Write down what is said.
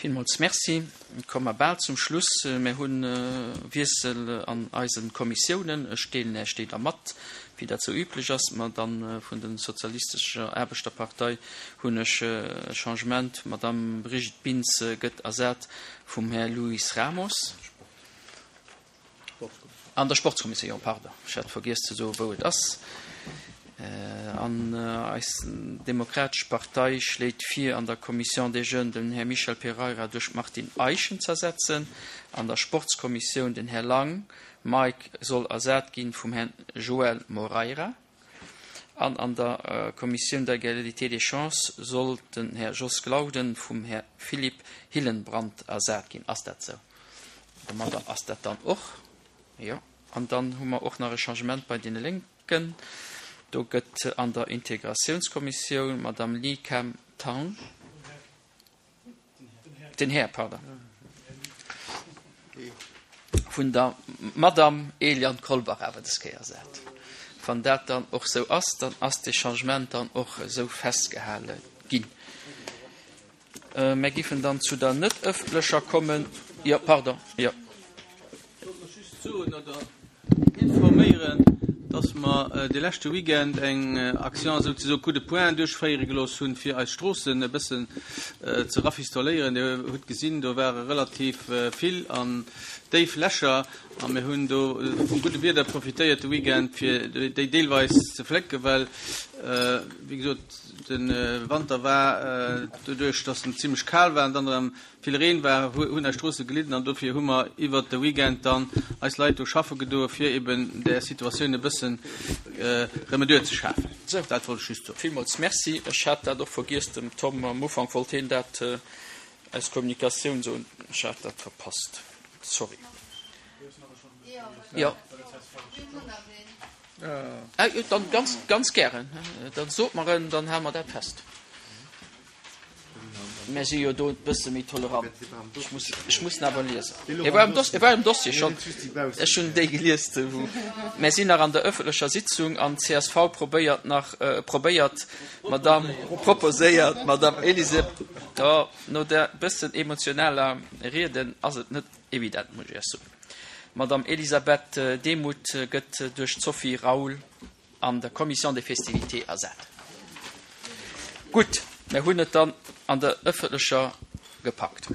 Villmools Merci. Komme mer bal zum Schluss. Mir hu Wiessel an eise Kommissiounen. Ech deelen Iech déi da mat, wéi dat sou üblech ass. Mer dann vun der Sozialistescher Aarbechterpartei hunn ech e Changement. D'Madame Brigitte Bintz gëtt ersat vum Här Luis Ramos. An der Sportskommissioun, pardon, ech hat vergiess ze soen, wou et ass. An eis Demokratesch Partei schléit vir, an der Commission des Jeunes den Här Michel Pereira duerch d'Martine Eischen z'ersetzen, an der Sportskommissioun den Här Lang Mike soll ersat ginn vum Här Joël Moreira an an der Commission d'Égalité des chances soll den Här Jos Glauden vum Här Philippe Hillenbrand ersat ginn. Ass dat sou? Domadder ass dat dann och, jo. An dann hu mer och nach e Changement bei deene Lénken. Do gëtt an der Integratiounskommissioun d'Madame Li Kam Tang, den Här, pardon, vun der Madame Eliane Kolbach awer des Kéier ersat. Wann dat dann och sou ass, dann ass dee Changement dann och esou festgehale ginn. Mär giffen dann zu der net ëffentlecher kommen. Jo, pardon, jo. Ech wollt lech just soen oder informéieren, dass mer de leschte Weekend eng Action souzesoe Coup de poing duerchféiere gelooss hunn, fir eis Stroossen e bëssen ze rafistoléieren. Dir hutt gesinn, do ware relativ vill an déif Lächer a mir hunn do vum gudde Wieder profitéiert de Weekend, fir déi deelweis ze flécken, well, wéi gesot, De Wanter war doduerch, dass en zimlech kal war an dann erëm vill Reen war, hunn eis Stroosse gelidden an dofir hu mer iwwert de Weekend dann eis Leit do schaffe gedoe fir eben där Situatioun e bëssen Remedur ze schafen. Dat wollt ech just soen. Villmools Merci. Ech hat dat och vergiess dem Tom. Am Ufank wollt hien dat aus Kommunikatioun soen. Ech hat dat verpasst. Sorry. Jo. Ah, jo, dann ganz, ganz gären. Dann sot mer en, dann hale mer dat fest. Mär si jo do e bësse méi tolerant. Ech muss, ech muss en awer liesen. E war am Dossier, e war am Dossier schonn. Ech hunn déi gelies, wou. Mär sinn nach an der ëffentlecher Sitzung an csv probéiert nach, probéiert d'Madame, proposéiert d'Madame Elisabeth, oh, no där bëssen emotionaler Rieden ass et net evident, muss ech Iech soen. D'Madame Elisabeth Demuth gëtt duerch d'Sophie Raoul an der Commission des festivités ersat. Gutt, mir hunn et dann an der ëffentlecher gepackt.